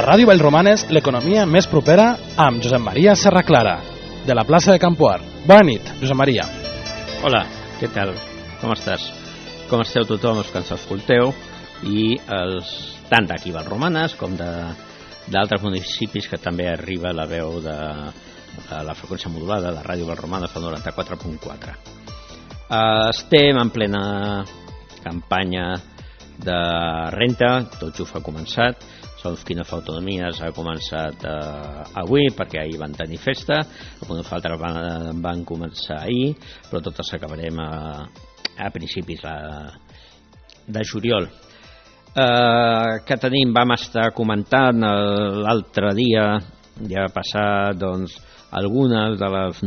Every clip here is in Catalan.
Ràdio Vallromanes, l'economia més propera amb Josep Maria Serraclara, de la plaça de Campoar. Bona nit, Josep Maria. Hola, què tal? Com estàs? Com esteu tothom els que ens escolteu i tant d'aquí Vallromanes com d'altres municipis que també arriba la veu de la freqüència modulada de Ràdio Vallromanes al 94.4. Estem en plena campanya de renta, tot just ha començat. Segons quines autonomies ha començat avui, perquè ahir van tenir festa, algunes altres van començar ahir, però totes acabarem a principis de juliol. Que tenim? Vam estar comentant l'altre dia, ja passat, doncs, algunes de les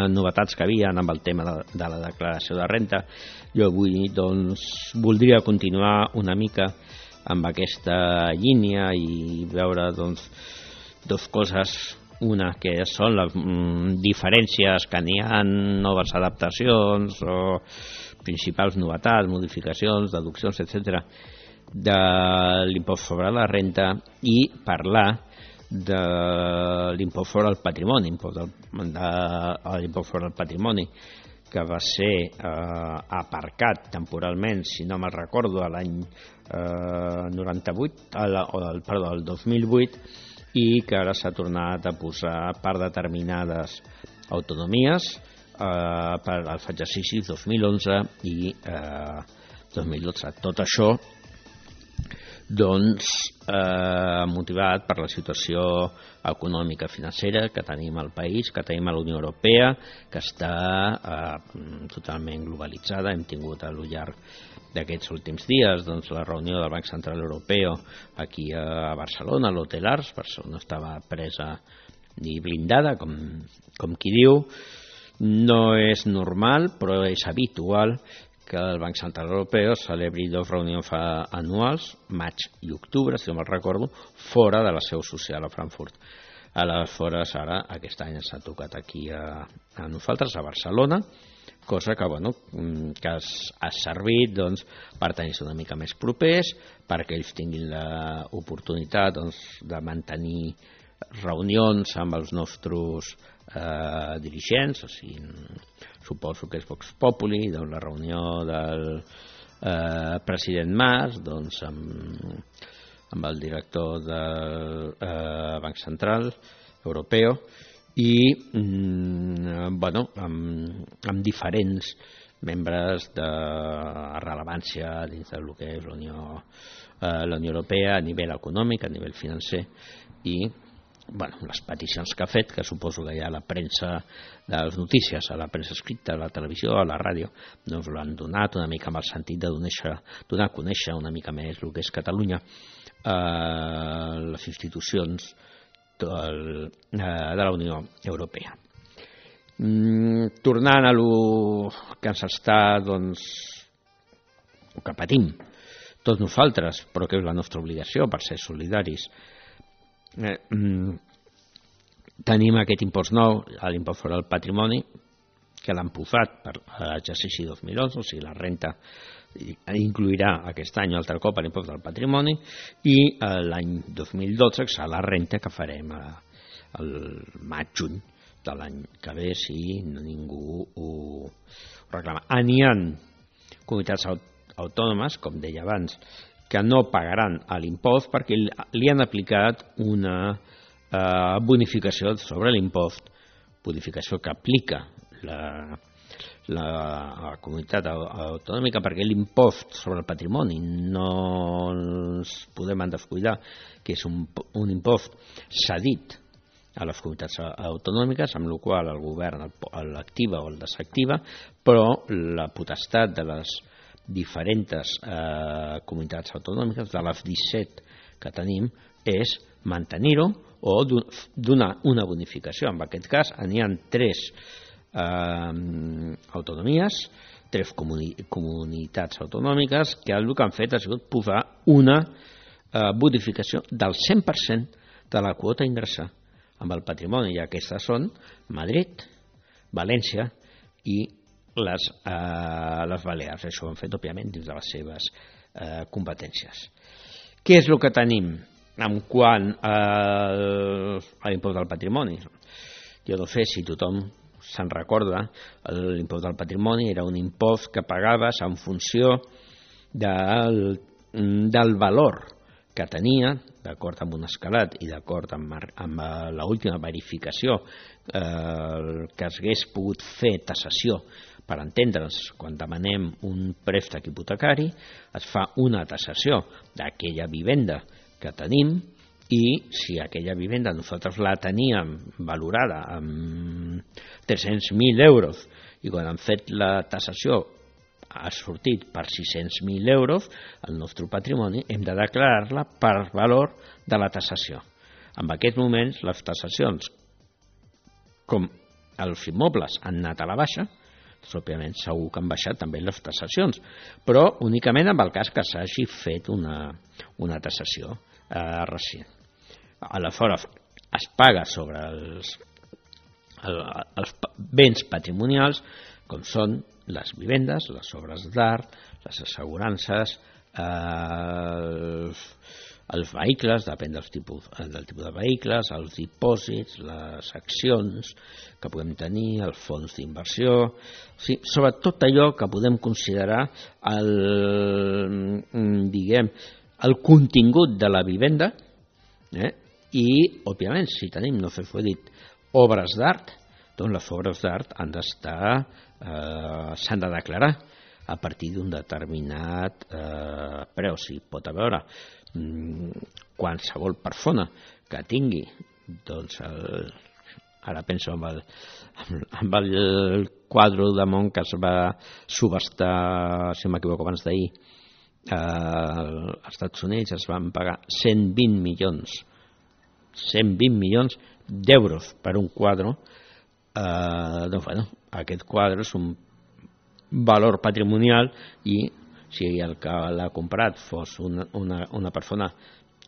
novetats que havia amb el tema de la declaració de renta. Jo avui doncs, voldria continuar una mica amb aquesta línia i veure doncs, dues coses. Una, que són les diferències que n'hi ha, noves adaptacions o principals novetats, modificacions, deduccions, etc., de l'impost sobre la renta, i parlar de l'impost sobre el patrimoni, l'impost sobre el patrimoni, que va ser aparcat temporalment, si no me'n recordo, a l'any 2008, i que ara s'ha tornat a posar per determinades autonomies per als exercicis 2011 i 2012. Tot això doncs motivat per la situació econòmica financera que tenim al país, que tenim a la Unió Europea, que està totalment globalitzada. Hem tingut a lo llarg d'aquests últims dies doncs, la reunió del Banc Central Europeu aquí a Barcelona, a l'Hotel Arts. Barcelona estava presa i blindada, com qui diu. No és normal, però és habitual que el Banc Central Europeu celebri dues reunions anuals, maig i octubre, si no me'n recordo, fora de la seu social a Frankfurt. A les fores ara, aquest any ens ha tocat aquí a nosaltres, a Barcelona, cosa que, bueno, que ha servit doncs, per tenir-se una mica més propers, perquè ells tinguin l'oportunitat doncs, de mantenir reunions amb els nostres dirigents. O sigui, suposo que és Vox Populi, doncs, la reunió del president Mas doncs, amb el director del Banc Central Europeu i bueno, amb diferents membres de rellevància dins del que és la Unió Europea a nivell econòmic, a nivell financer, i bueno, les peticions que ha fet, que suposo que hi ha a la premsa de les notícies, a la premsa escrita, a la televisió, a la ràdio, doncs l'han donat una mica amb el sentit de donar a conèixer una mica més el que és Catalunya a les institucions de la Unió Europea. Tornant a lo que ens està, doncs, o que patim tots nosaltres, però que és la nostra obligació per ser solidaris, tenim aquest impost nou, l'impost sobre el patrimoni, que l'han posat per l'exercici 2011, o sigui, la renta incluirà aquest any altre cop l'impost del patrimoni, i l'any 2012 serà la renta que farem el maig-juny de l'any que ve, si ningú ho reclama. N'hi ha comunitats autònomes, com deia abans, que no pagaran l'impost perquè li han aplicat una bonificació sobre l'impost, bonificació que aplica la comunitat autonòmica, perquè l'impost sobre el patrimoni no ens podem descuidar que és un impost cedit a les comunitats autonòmiques, amb la qual el govern l'activa o el desactiva, però la potestat de les diferents comunitats autonòmiques, de les 17 que tenim, és mantenir-ho o donar una bonificació. En aquest cas n'hi ha 3 autonomies, 3 comunitats autonòmiques que el que han fet ha sigut posar una bonificació del 100% de la quota a ingressar amb el patrimoni, i aquestes són Madrid, València i les Balears. Això ho han fet, òbviament, dins de les seves competències. Què és el que tenim? en quant a l'impost del patrimoni, jo no sé si tothom se'n recorda, l'impost del patrimoni era un impost que pagaves en funció del valor que tenia, d'acord amb un escalat i d'acord amb l'última verificació que s'hagués pogut fer tasació. Per entendre'ns, quan demanem un préstec hipotecari, es fa una tasació d'aquella vivenda que tenim i si aquella vivenda nosaltres la teníem valorada amb 300.000 euros i quan hem fet la tasació ha sortit per 600.000 euros, el nostre patrimoni hem de declarar-la per valor de la tasació. En aquests moments, les tasacions, com els immobles han anat a la baixa, doncs, òbviament, segur que han baixat també les tasacions, però únicament en el cas que s'hagi fet una tasació recent. Aleshores, es paga sobre els béns patrimonials, com són les vivendes, les obres d'art, les assegurances, els vehicles, depèn del tipus de vehicles, els dipòsits, les accions que podem tenir, els fons d'inversió, o sigui, sobretot allò que podem considerar el contingut de la vivenda, i, òbviament, si tenim, no sé si ho he dit, obres d'art, doncs les obres d'art han d'estar, s'han de declarar a partir d'un determinat preu. Si pot haver qualsevol persona que tingui, doncs, ara penso amb el quadre de Mont que es va subhastar, si m'equivoco, abans d'ahir, als Estats Units es van pagar 120 milions d'euros per un quadre. Doncs, bueno, aquest quadre és un valor patrimonial i si el que l'ha comprat fos una persona,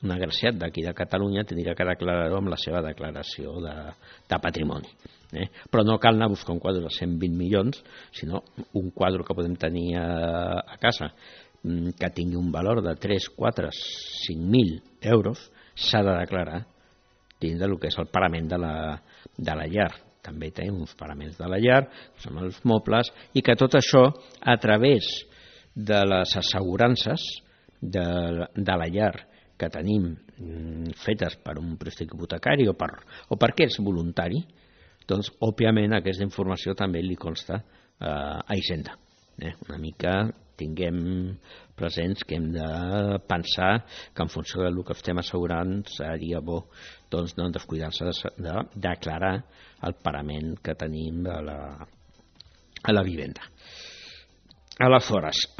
un agraciat d'aquí de Catalunya, tindria que declarar-ho amb la seva declaració de patrimoni. Però no cal anar a buscar un quadre de 120 milions, sinó un quadre que podem tenir a casa que tingui un valor de 3, 4, 5.000 euros, s'ha de declarar dins del que és el parament de la llar. També tenim uns paraments de la llar, que són els mobles, i que tot això, a través de les assegurances de la llar que tenim fetes per un préstec hipotecari o perquè és voluntari, doncs, òbviament, aquesta informació també li consta a Hisenda. Una mica tinguem presents que hem de pensar que en funció del que estem assegurant seria bo doncs, no descuidar-se de declarar el parament que tenim a la vivenda. Aleshores,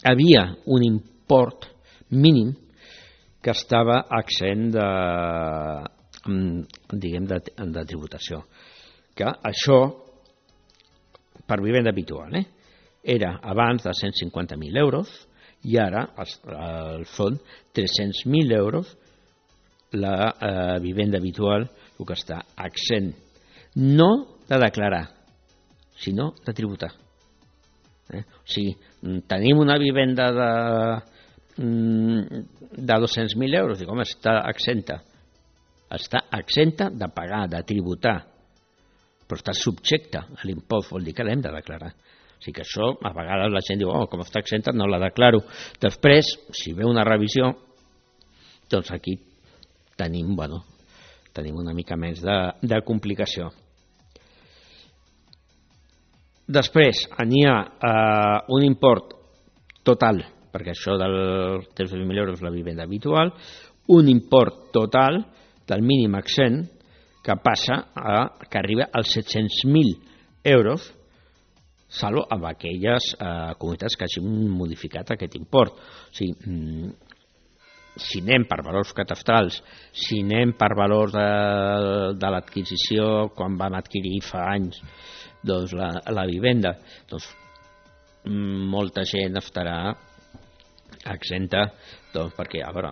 havia un import mínim que estava exempt de tributació, que això per vivenda habitual era abans de 150.000 euros i ara són 300.000 euros la vivenda habitual, el que està exempt no de declarar sinó de tributar. O sigui, tenim una vivenda de 200.000 euros, dic, home, està exempta de pagar, de tributar, però està subjecta a l'impost, vol dir que l'hem de declarar. O sigui que això, a vegades la gent diu, com està exempta no la declaro. Després, si ve una revisió, doncs aquí tenim una mica més de complicació. Després n'hi ha un import total, perquè això dels 3.000 euros és la vivenda habitual, un import total del mínim exempt que passa que arriba als 700.000 euros, salvo amb aquelles comunitats que hagin modificat aquest import. O sigui, si anem per valors catastrals, si anem per valors de l'adquisició quan vam adquirir fa anys doncs la vivenda, doncs molta gent estarà exempta, doncs perquè a veure,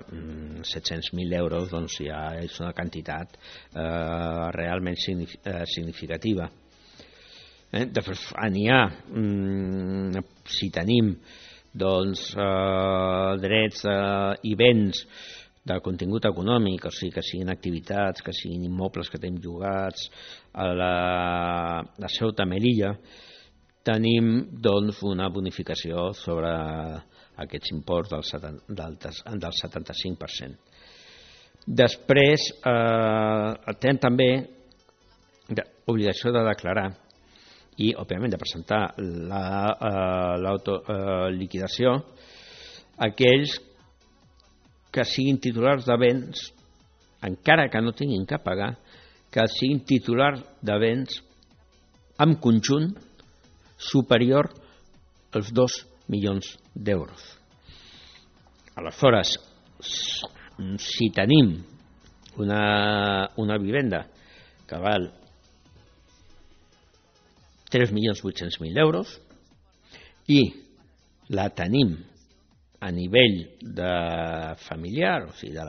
700.000 euros doncs ja és una quantitat realment significativa. Després n'hi ha, si tenim drets i béns de contingut econòmic, o sigui, que siguin activitats, que siguin immobles que tenim llogats a la Ceuta Melilla, tenim una bonificació sobre aquests imports del 75%. Després tenim també l'obligació de declarar i, òbviament, de presentar l'autoliquidació aquells que siguin titulars de béns, encara que no tinguin que pagar, que siguin titulars de béns en conjunt superior als 2 milions d'euros. Aleshores, si tenim una vivenda que val 3.800.000 euros i la tenim a nivell de familiar, o sigui, de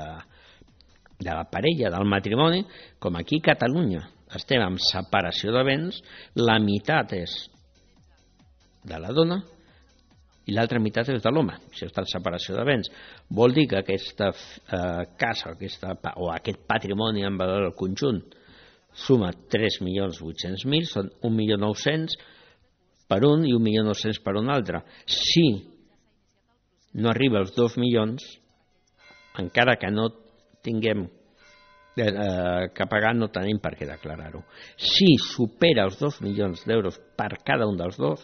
la parella, del matrimoni, com aquí a Catalunya estem en separació de béns, la meitat és de la dona i l'altra meitat és de l'home. Si està en separació de béns, vol dir que aquesta casa o aquest patrimoni en valor al conjunt suma 3.800.000, són 1.900.000 per un i 1.900.000 per un altre. Si no arriba als 2 milions, encara que no tinguem que pagar, no tenim per què declarar-ho. Si supera els 2 milions d'euros per cada un dels dos,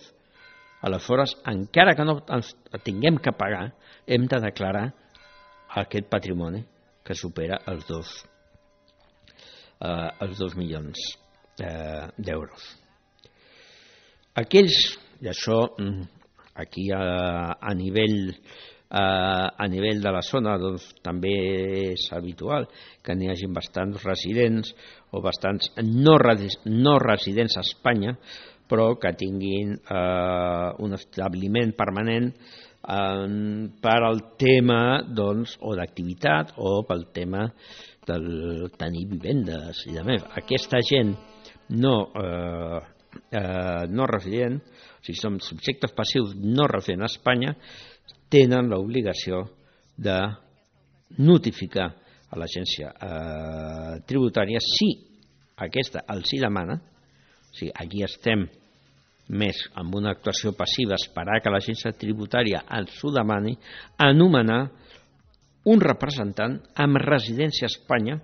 aleshores, encara que no tinguem que pagar, hem de declarar aquest patrimoni que supera els 2 milions d'euros. Aquells, i això aquí a nivell de la zona, doncs, també és habitual que n'hi hagi bastants residents o bastants no residents a Espanya, però que tinguin un establiment permanent per al tema, doncs, o d'activitat o pel tema del tenir vivendes i demés. Aquesta gent no resident, o sigui, són subjectes passius no residents a Espanya, tenen l'obligació de notificar a l'agència tributària si aquesta els hi demana. O sigui, aquí estem més amb una actuació passiva, esperar que l'agència tributària ens ho demani, anomenar un representant amb residència a Espanya,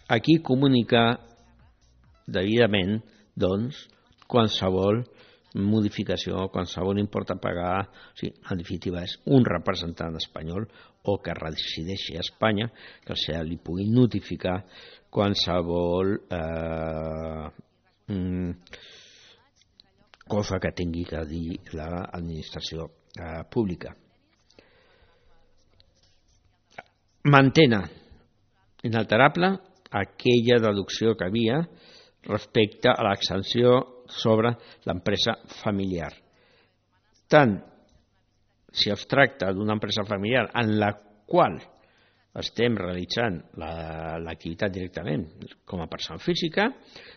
aquí comunicar degudament, doncs, qualsevol modificació, qualsevol import a pagar, o sigui, en definitiva és un representant espanyol o que resideixi a Espanya que se li pugui notificar qualsevol cosa que tingui que dir l'administració pública. Mantenen inalterable aquella deducció que havia respecte a l'exempció sobre l'empresa familiar. Tant si es tracta d'una empresa familiar en la qual estem realitzant l'activitat directament com a persona física,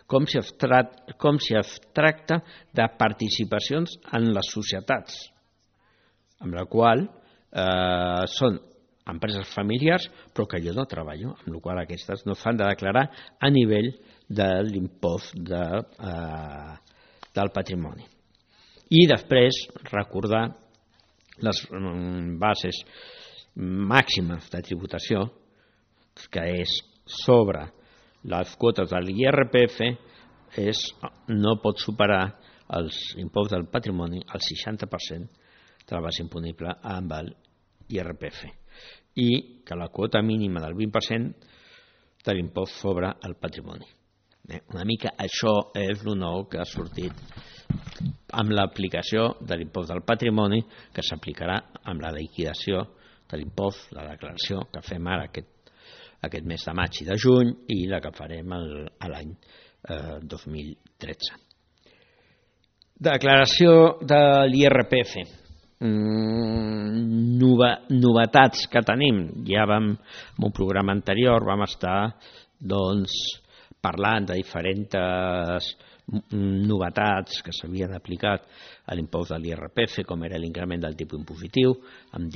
com si es tracta de participacions en les societats, amb la qual són empreses familiars però que jo no treballo, amb la qual aquestes no fan de declarar a nivell de l'impost del patrimoni. I després recordar les bases màximes de tributació, que és sobre les quotes de l'IRPF, no pot superar els imposts del patrimoni el 60% de la base imponible amb l'IRPF i que la quota mínima del 20% de l'impost sobre el patrimoni. Una mica això és el nou que ha sortit amb l'aplicació de l'impost del patrimoni, que s'aplicarà amb la liquidació de l'impost, la declaració que fem ara aquest mes de maig i de juny i la que farem l'any 2013. Declaració de l'IRPF. Novetats que tenim. Ja en un programa anterior vam estar parlant de diferents novetats que s'havien aplicat a l'impost de l'IRPF, com era l'increment del tipus impositiu, amb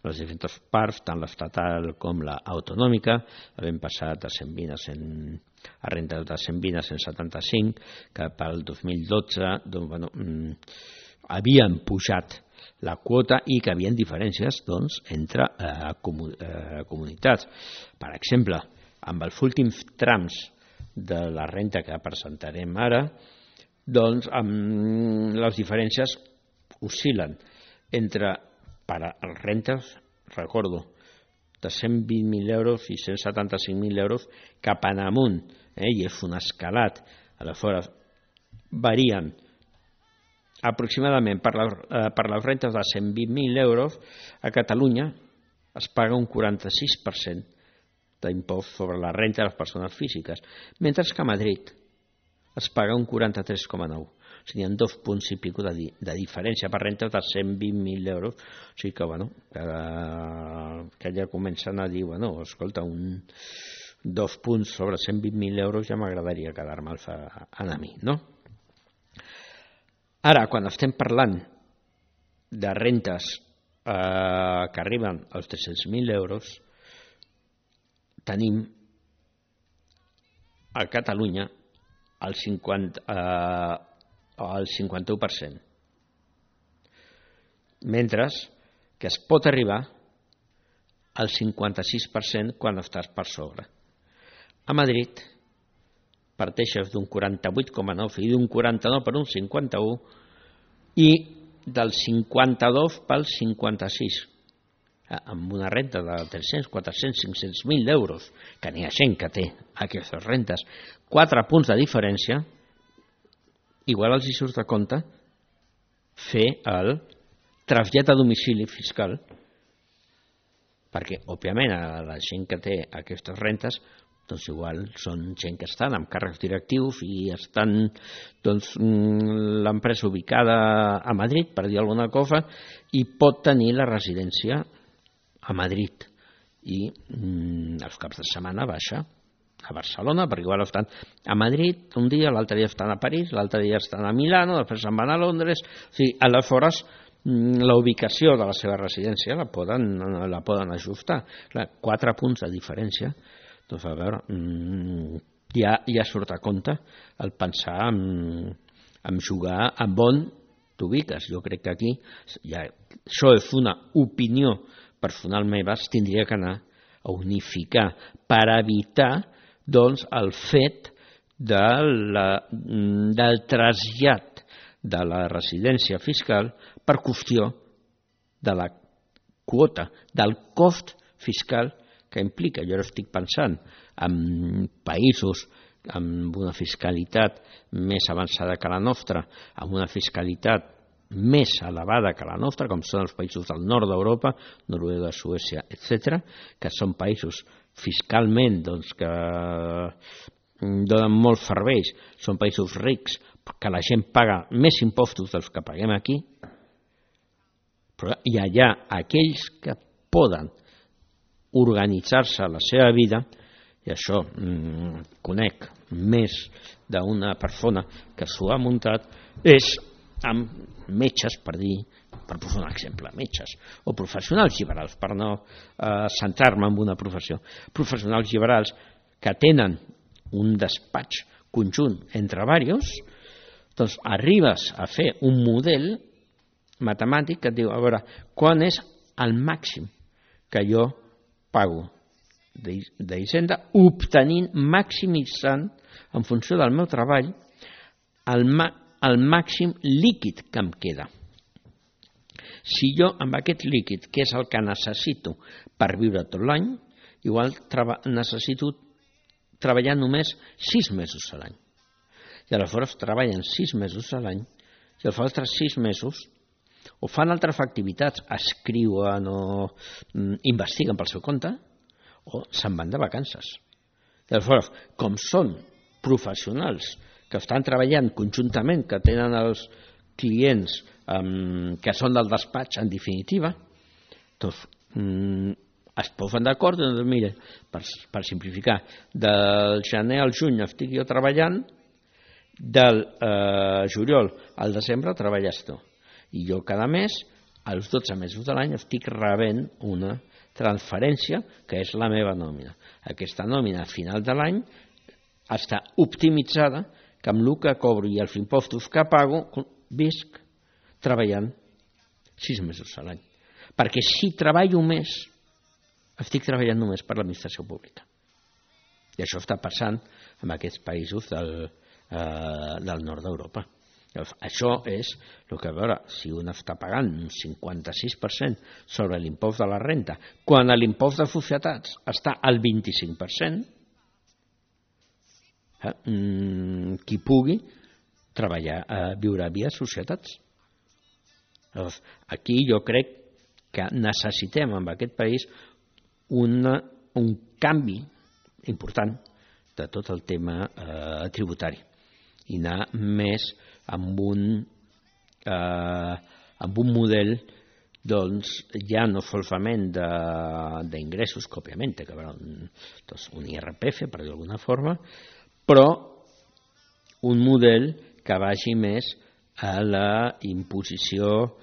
les diferents parts, tant l'estatal com l'autonòmica, havent passat a 120 a rentes de 120 a 175, que pel 2012 havien pujat la quota i que hi havia diferències entre comunitats. Per exemple, amb els últims trams de la renta que presentarem ara, les diferències oscil·len entre per a rentes, recordo, de 120.000 euros i 175.000 euros cap en amunt, i és un escalat. Aleshores, varien aproximadament per les rentes de 120.000 euros, a Catalunya es paga un 46% d'impost sobre la renta de les persones físiques, mentre que a Madrid es paga un 43,9%. O sigui, hi ha 2 punts i pico de diferència per rentes de 120.000 euros. O sigui que ja comencen a dir, escolta, 2 punts sobre 120.000 euros ja m'agradaria quedar-me'ls a mi, no? Ara, quan estem parlant de rentes que arriben als 300.000 euros, tenim a Catalunya el 51%, mentre que es pot arribar al 56% quan estàs per sobre. A Madrid parteixes d'un 48,9 i d'un 49 per un 51 i del 52 pel 56, amb una renta de 300, 400, 500.000 euros, que n'hi ha gent que té aquestes rentes, 4 punts de diferència. Igual els hi surt de compte fer el trasllat a domicili fiscal, perquè, òbviament, la gent que té aquestes rentes, doncs igual són gent que estan amb càrrecs directius i estan, l'empresa ubicada a Madrid, per dir alguna cosa, i pot tenir la residència a Madrid i els caps de setmana baixa a Barcelona, perquè igual estan a Madrid un dia, l'altre dia estan a París, l'altre dia estan a Milano, després se'n van a Londres. O sigui, aleshores la ubicació de la seva residència la poden ajustar. 4 punts de diferència. Doncs a veure, ja surt a compte el pensar en jugar amb on t'ubiques. Jo crec que aquí, això és una opinió personal meva, es tindria que anar a unificar per evitar el fet del trasllat de la residència fiscal per qüestió de la quota, del cost fiscal que implica. Jo ara estic pensant en països amb una fiscalitat més avançada que la nostra, amb una fiscalitat més elevada que la nostra, com són els països del nord d'Europa, Noruega, Suècia, etc., que són països fiscalment que donen molts serveis, són països rics, que la gent paga més impostos dels que paguem aquí, però hi ha aquells que poden organitzar-se la seva vida, i això conec més d'una persona que s'ho ha muntat, és amb metges, per posar un exemple, metges o professionals lliberals, per no centrar-me en una professió, professionals lliberals que tenen un despatx conjunt entre diversos, doncs arribes a fer un model matemàtic que et diu, a veure, quan és el màxim que jo pago d'Hisenda, obtenint, maximitzant, en funció del meu treball, el màxim líquid que em queda. Si jo amb aquest líquid, que és el que necessito per viure tot l'any, igual necessito treballar només 6 mesos a l'any. I aleshores treballen 6 mesos a l'any i els altres 6 mesos o fan altres activitats, escriuen o investiguen pel seu compte, o se'n van de vacances. I aleshores, com són professionals que estan treballant conjuntament, que tenen els clients que són del despatx, en definitiva, doncs es posen d'acord, doncs mira, per simplificar, del gener al juny estic jo treballant, del juliol al desembre treballes tu. I jo cada mes, als 12 mesos de l'any, estic rebent una transferència que és la meva nòmina. Aquesta nòmina a final de l'any està optimitzada que amb el que cobro i els impostos que pago visc treballant 6 mesos a l'any. Perquè si treballo més, estic treballant només per l'administració pública. I això està passant en aquests països del nord d'Europa. Això és el que, a veure, si un està pagant un 56% sobre l'impost de la renta, quan l'impost de societats està al 25%, qui pugui treballar, viure via societats. Llavors, aquí jo crec que necessitem en aquest país un canvi important de tot el tema tributari i anar més amb un model doncs ja no solament d'ingressos que òbviament té que haver un IRPF per dir d'alguna forma, però un model que vagi més a la imposició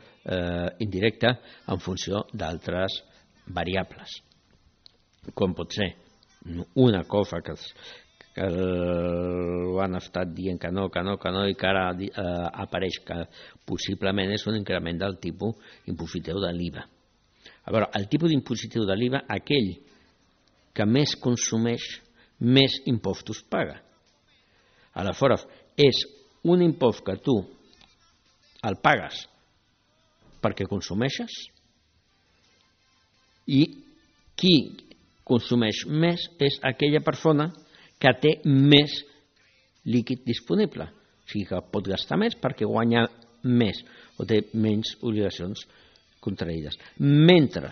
indirecta en funció d'altres variables, com pot ser una cosa que ho han estat dient que no i que ara apareix que possiblement és un increment del tipus impositiu de l'IVA. A veure, el tipus impositiu de l'IVA, aquell que més consumeix, més impostos paga. Aleshores, és un impost que tu el pagues perquè consumeixes i qui consumeix més és aquella persona que té més líquid disponible. O sigui que pot gastar més perquè guanya més o té menys obligacions contraïdes. Mentre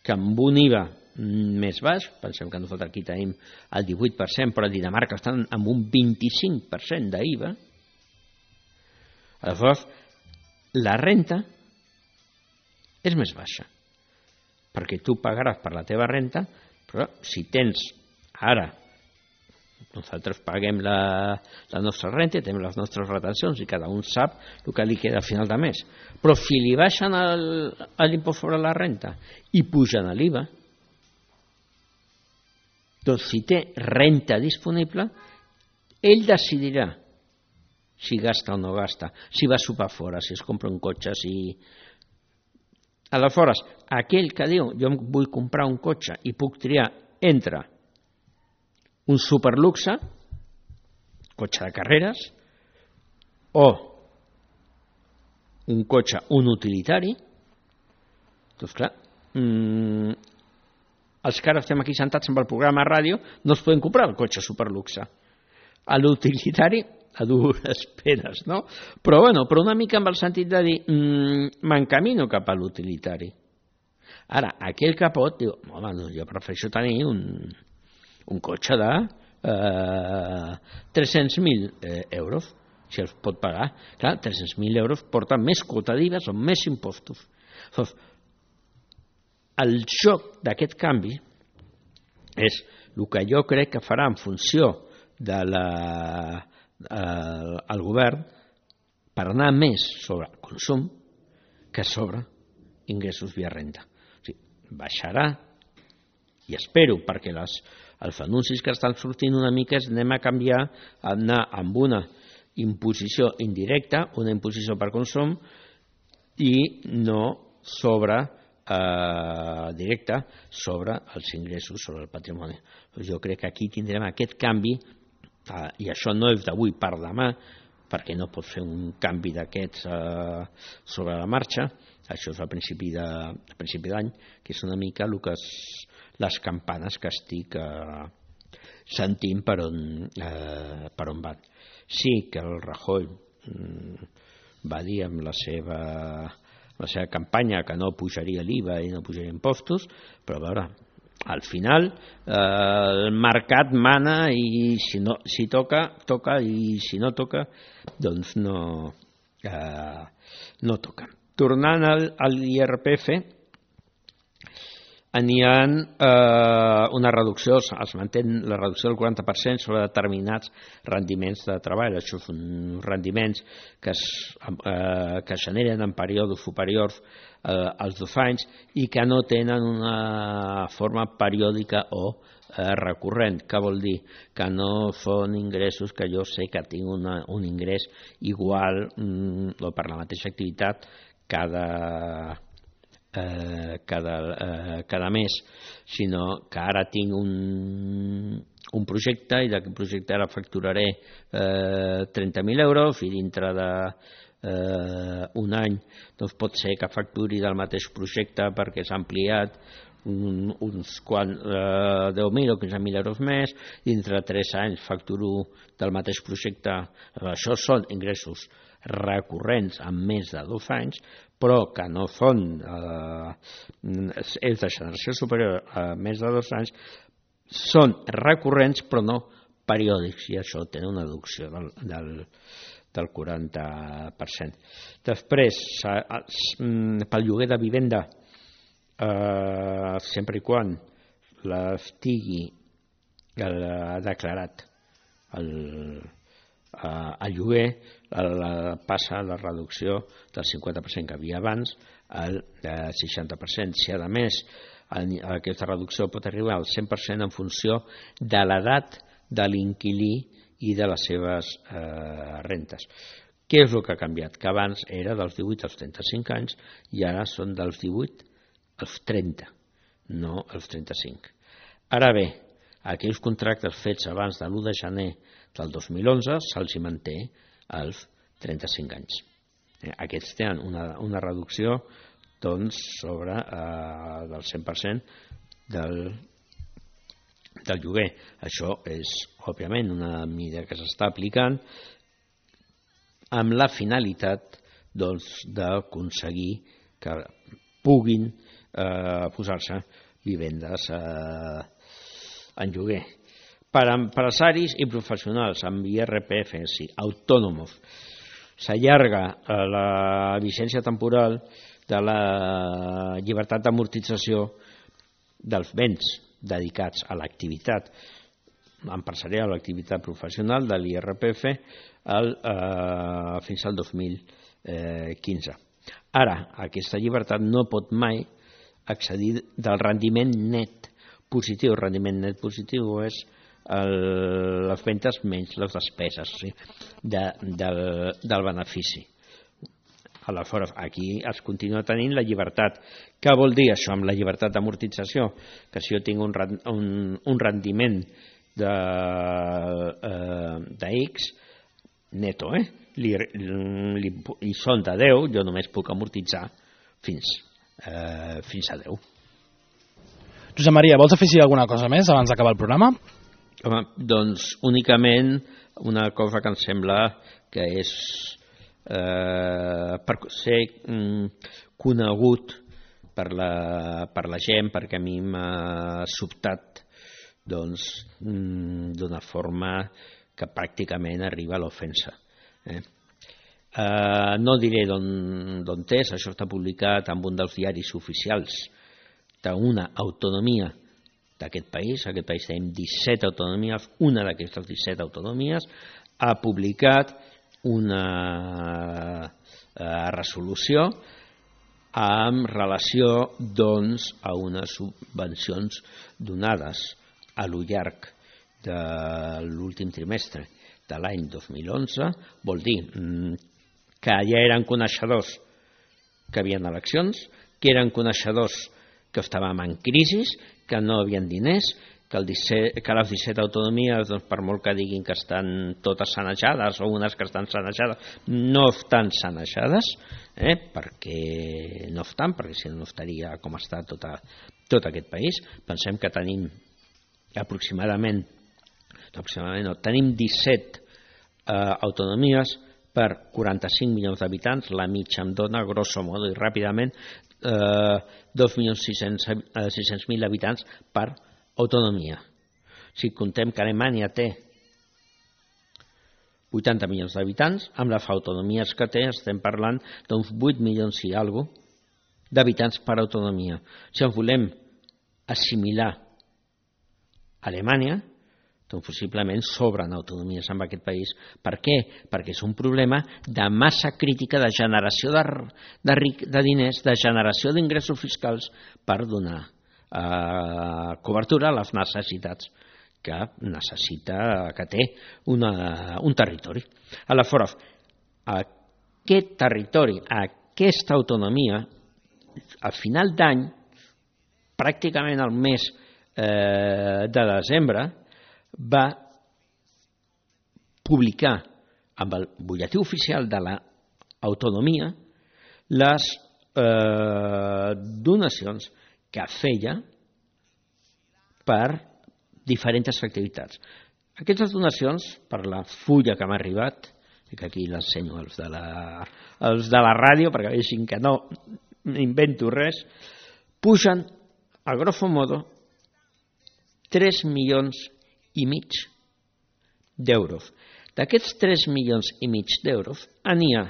que amb un IVA més baix, pensem que nosaltres aquí tenim el 18%, però a Dinamarca estan amb un 25% d'IVA, aleshores la renta és més baixa, perquè tu pagaràs per la teva renta, però si tens ara, nosaltres paguem la nostra renta, tenim les nostres retencions i cada un sap el que li queda a final de mes, però si li baixen l'impost sobre la renta i pugen l'IVA, doncs si té renta disponible, ell decidirà si gasta o no gasta, si va a sopar fora, si es compra un cotxe, si... Aleshores, aquell que diu jo vull comprar un cotxe i puc triar entre un superluxe, cotxe de carreres, o un cotxe, un utilitari, doncs clar, els que ara estem aquí sentats amb el programa de ràdio no es poden comprar el cotxe superluxe. A l'utilitari, a dures penes, no? Però una mica amb el sentit de dir m'encamino cap a l'utilitari. Ara, aquell que pot diu, home, no, jo prefereixo tenir un cotxe de 300.000 euros, si els pot pagar. Clar, 300.000 euros porten més quota d'IVA, són més impostos. El xoc d'aquest canvi és el que jo crec que farà en funció del govern per anar més sobre consum que sobre ingressos via renda. O sigui, baixarà, i espero, perquè els anuncis que estan sortint una mica és anem a canviar, a anar amb una imposició indirecta, una imposició per consum, i no sobre directa sobre els ingressos, sobre el patrimoni. Jo crec que aquí tindrem aquest canvi, i això no és d'avui per demà, perquè no pot fer un canvi d'aquests sobre la marxa. Això és a principi d'any, que és una mica les campanes que estic sentint per on van. Sí que el Rajoy va dir amb la seva campanya que no pujaria l'IVA i no pujaria impostos, però a veure, al final el mercat mana i si toca, toca, i si no toca, doncs no toca. Tornant al IRPF, n'hi ha una reducció, es manté la reducció del 40% sobre determinats rendiments de treball. Això són rendiments que es generen en períodes superiors als 2 anys i que no tenen una forma periòdica o recurrent. Què vol dir? Que no són ingressos que jo sé que tinc un ingrés igual o per la mateixa activitat cada mes, sinó que ara tinc un projecte i d'aquest projecte ara facturaré 30.000 euros i dintre d'un any doncs pot ser que facturi del mateix projecte perquè s'ha ampliat uns 10.000 o 15.000 euros més, dintre de 3 anys facturo del mateix projecte. Això són ingressos recurrents en més de 2 anys, però que no són és de generació superior a més de 2 anys, són recurrents però no periòdics, i això té una deducció del 40%. Després, pel lloguer de vivenda, sempre i quan l'estigui declarat el lloguer, passa la reducció del 50% que havia abans al 60%. Si a més aquesta reducció pot arribar al 100% en funció de l'edat de l'inquilí i de les seves rentes. Què és el que ha canviat? Que abans era dels 18 als 35 anys i ara són dels 18 als 30, no als 35. Ara bé, aquells contractes fets abans de l'1 de gener del 2011 se'ls hi manté als 35 anys. Aquests tenen una reducció doncs, sobre del 100% del lloguer. Això és, òbviament, una mesura que s'està aplicant amb la finalitat doncs, d'aconseguir que puguin posar-se vivendes en lloguer. Per a empresaris i professionals amb IRPF, autònoms, s'allarga la vigència temporal de la llibertat d'amortització dels béns dedicats a l'activitat empresarial o l'activitat professional de l'IRPF fins al 2015. Ara, aquesta llibertat no pot mai accedir del rendiment net positiu. El rendiment net positiu és les ventes menys les despeses del benefici. Aleshores, aquí es continua tenint la llibertat. Què vol dir això amb la llibertat d'amortització? Que si jo tinc un rendiment de X neto, i són de 10, jo només puc amortitzar fins a 10. Josep Maria, vols afegir alguna cosa més abans d'acabar el programa? Home, doncs únicament una cosa que em sembla que és per ser conegut per la gent, perquè a mi m'ha sobtat d'una forma que pràcticament arriba a l'ofensa. No diré d'on és, això està publicat en un dels diaris oficials d'una autonomia d'aquest país. Aquest país tenim 17 autonomies, una d'aquestes 17 autonomies ha publicat una resolució en relació doncs, a unes subvencions donades a lo llarg de l'últim trimestre de l'any 2011. Vol dir que ja eren coneixedors que hi havia eleccions, que eren coneixedors que estàvem en crisi, que no hi havia diners, que les 17 autonomies, doncs, per molt que diguin que estan totes sanejades o unes que estan sanejades, no estan sanejades, perquè no estan, perquè si no estaria com està tot aquest país. Pensem que tenim aproximadament tenim 17 autonomies per 45 milions d'habitants. La mitja em dona, grosso modo i ràpidament, 2.600.000 habitants per autonomia. Si contem que Alemanya té 80 milions d'habitants, amb les autonomies que té estem parlant d'uns 8 milions i alguna d'habitants per autonomia. Si en volem assimilar Alemanya, doncs possiblement sobren autonomies en aquest país. Per què? Perquè és un problema de massa crítica, de generació de diners, de generació d'ingressos fiscals per donar cobertura a les necessitats que té un territori. Aleshores, aquest territori, aquesta autonomia, al final d'any, pràcticament al mes de desembre, va publicar amb el butlletí oficial de l'autonomia les donacions que feia per diferents activitats. Aquestes donacions, per la fulla que m'ha arribat, i que aquí l'ensenyo els de la ràdio perquè vegin que no invento res, pugen a grosso modo 3 milions i mig d'euros. D'aquests 3 milions i mig d'euros n'hi ha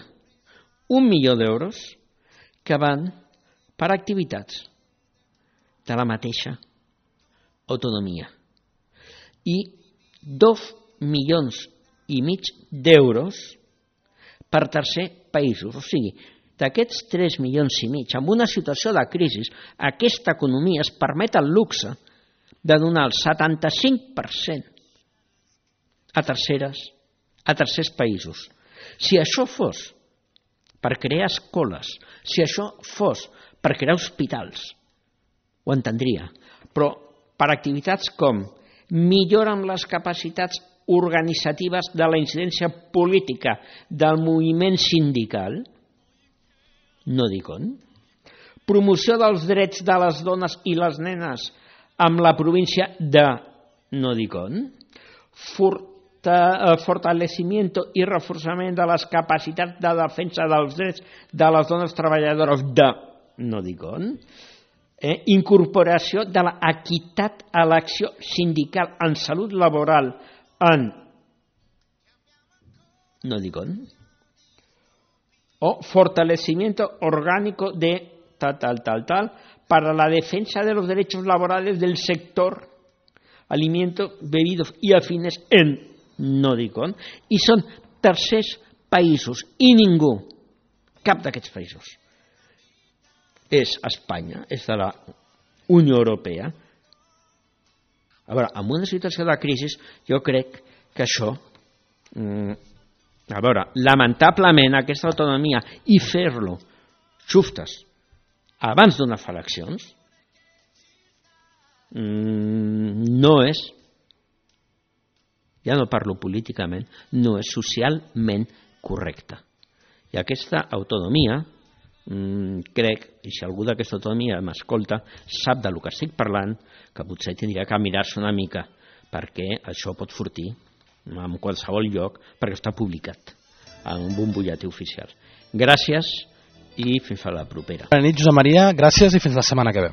1 milió d'euros que van per activitats de la mateixa autonomia i 2 milions i mig d'euros per tercers països. O sigui, d'aquests 3 milions i mig, en una situació de crisi, aquesta economia es permet el luxe de donar el 75% a tercers països. Si això fos per crear escoles, si això fos per crear hospitals, ho entendria. Però per activitats com milloren les capacitats organitzatives de la incidència política del moviment sindical, no dic on, promoció dels drets de les dones i les nenes amb la província de no dic on, fortalecimiento i reforçament de les capacitats de defensa dels drets de les dones treballadores de no dic on, incorporació de l'equitat a l'acció sindical en salut laboral en no dic on, o fortalecimiento orgánico de tal, para la defensa de los derechos laborales del sector alimentos, bebidos i afines en no dic on, i són tercers països i ningú, cap d'aquests països és Espanya, és de la Unió Europea. A veure, en una situació de crisi jo crec que això, a veure, lamentablement aquesta autonomia i fer-lo justes abans d'unes eleccions no és, ja no parlo políticament, no és socialment correcte. I aquesta autonomia, crec, i si algú d'aquesta autonomia m'escolta, sap del que estic parlant, que potser tindria que mirar-se una mica, perquè això pot sortir en qualsevol lloc, perquè està publicat en un butlletí oficial. Gràcies i fins a la propera. Bona nit, Josep Maria, gràcies i fins la setmana que ve.